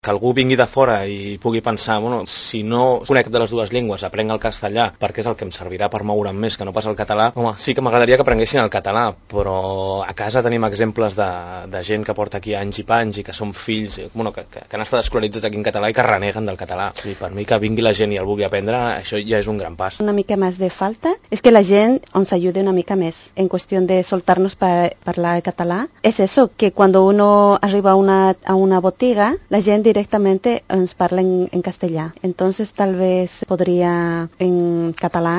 que algú vingui de fora i pugui pensar, bueno, si no conec de les dues llengües, aprenc el castellà perquè és el que em servirà per moure'm més que no pas el català, home, sí que m'agradaria que aprenguessin el català, però a casa tenim exemples de gent que porta aquí anys i panys i que són fills, bueno, que han estat escolaritzats aquí en català i que reneguen del català. I per mi que vingui la gent i el vulgui aprendre, això ja és un gran pas. Una mica más de falta es que la gent ens ayude una mica més en cuestión de soltarnos para hablar català. Es eso, que cuando uno arriba a una botiga, la gente directamente nos parla en castellà. Entonces tal vez podría en català